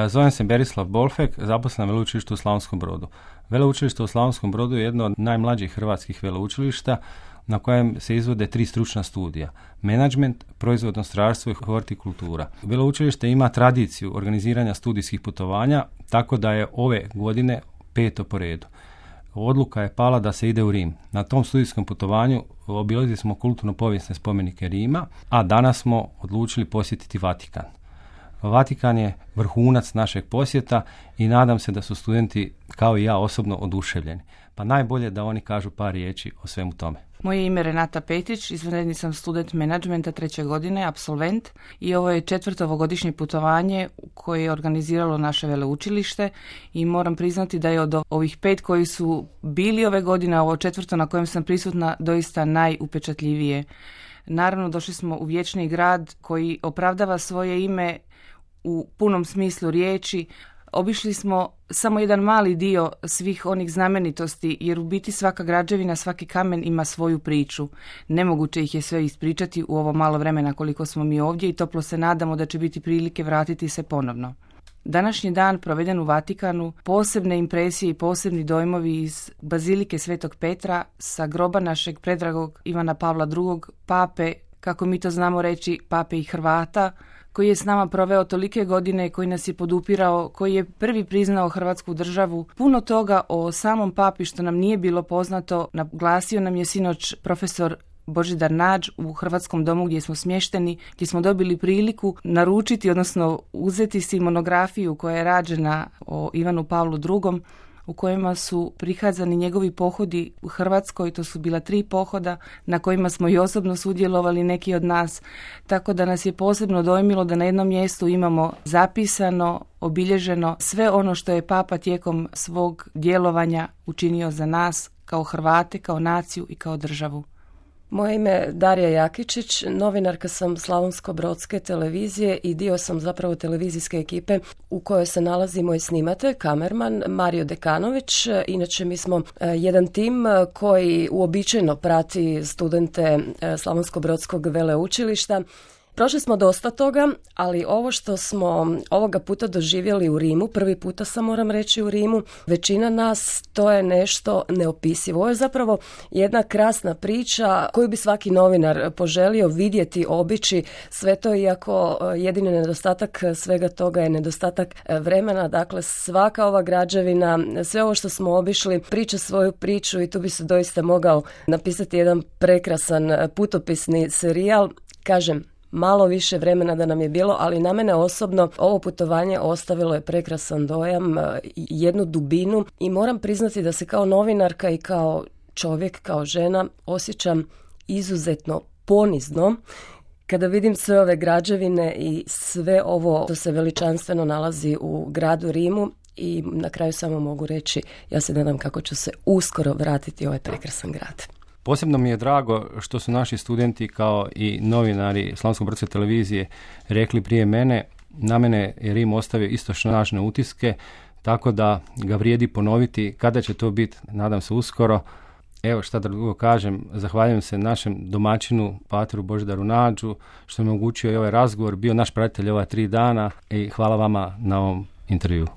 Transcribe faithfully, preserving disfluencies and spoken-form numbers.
Zovem se Berislav Bolfek, zaposlen na veleučilištu u Slavonskom Brodu. Veleučilište u Slavonskom Brodu je jedno od najmlađih hrvatskih veleučilišta na kojem se izvode tri stručna studija. Menadžment, proizvodno strojarstvo i hortikultura. Veleučilište ima tradiciju organiziranja studijskih putovanja, tako da je ove godine peto po redu. Odluka je pala da se ide u Rim. Na tom studijskom putovanju obilazili smo kulturno-povijesne spomenike Rima, a danas smo odlučili posjetiti Vatikan. Vatikan je vrhunac našeg posjeta i nadam se da su studenti, kao i ja osobno, oduševljeni. Pa najbolje da oni kažu par riječi o svemu tome. Moje ime je Renata Petić, izvanredni sam student menadžmenta treće godine, apsolvent, i ovo je četvrto ovogodišnje putovanje koje je organiziralo naše veleučilište i moram priznati da je od ovih pet koji su bili ove godine, ovo četvrto na kojem sam prisutna, doista najupečatljivije. Naravno, došli smo u vječni grad koji opravdava svoje ime u punom smislu riječi. Obišli smo samo jedan mali dio svih onih znamenitosti, jer u biti svaka građevina, svaki kamen ima svoju priču. Nemoguće ih je sve ispričati u ovo malo vremena koliko smo mi ovdje i toplo se nadamo da će biti prilike vratiti se ponovno. Današnji dan proveden u Vatikanu, posebne impresije i posebni dojmovi iz Bazilike Svetog Petra sa groba našeg predragog Ivana Pavla drugog, pape, kako mi to znamo reći, pape i Hrvata, koji je s nama proveo tolike godine, koji nas je podupirao, koji je prvi priznao Hrvatsku državu. Puno toga o samom papi što nam nije bilo poznato naglasio nam je sinoć profesor Božidar Nađ u Hrvatskom domu gdje smo smješteni, gdje smo dobili priliku naručiti, odnosno uzeti si monografiju koja je rađena o Ivanu Pavlu drugom, u kojima su prikazani njegovi pohodi u Hrvatskoj. To su bila tri pohoda na kojima smo i osobno sudjelovali neki od nas, tako da nas je posebno dojmilo da na jednom mjestu imamo zapisano, obilježeno sve ono što je papa tijekom svog djelovanja učinio za nas kao Hrvate, kao naciju i kao državu. Moje ime je Darija Jakičić, novinarka sam Slavonsko-brodske televizije i dio sam zapravo televizijske ekipe u kojoj se nalazi moj snimatelj, kamerman Mario Dekanović. Inače mi smo jedan tim koji uobičajeno prati studente Slavonsko-brodskog veleučilišta. Prošli smo dosta toga, ali ovo što smo ovoga puta doživjeli u Rimu, prvi puta sam moram reći u Rimu, većina nas, to je nešto neopisivo. Ovo je zapravo jedna krasna priča koju bi svaki novinar poželio vidjeti, obići, sve to, iako jedini nedostatak svega toga je nedostatak vremena. Dakle, svaka ova građevina, sve ovo što smo obišli, priča svoju priču i tu bi se doista mogao napisati jedan prekrasan putopisni serijal. Kažem, malo više vremena da nam je bilo, ali na mene osobno ovo putovanje ostavilo je prekrasan dojam, jednu dubinu i moram priznati da se kao novinarka i kao čovjek, kao žena osjećam izuzetno ponizno kada vidim sve ove građevine i sve ovo što se veličanstveno nalazi u gradu Rimu. I na kraju samo mogu reći, ja se nadam kako ću se uskoro vratiti u ovaj prekrasan grad. Posebno mi je drago što su naši studenti kao i novinari Slavonsko-brodske televizije rekli prije mene. Na mene je Rim ostavio isto snažne utiske, tako da ga vrijedi ponoviti. Kada će to biti, nadam se uskoro. Evo šta da drugo kažem, zahvaljujem se našem domaćinu, pateru Božidaru Nađu, što je omogućio i ovaj razgovor, bio naš pratitelj ova tri dana i hvala vama na ovom intervju.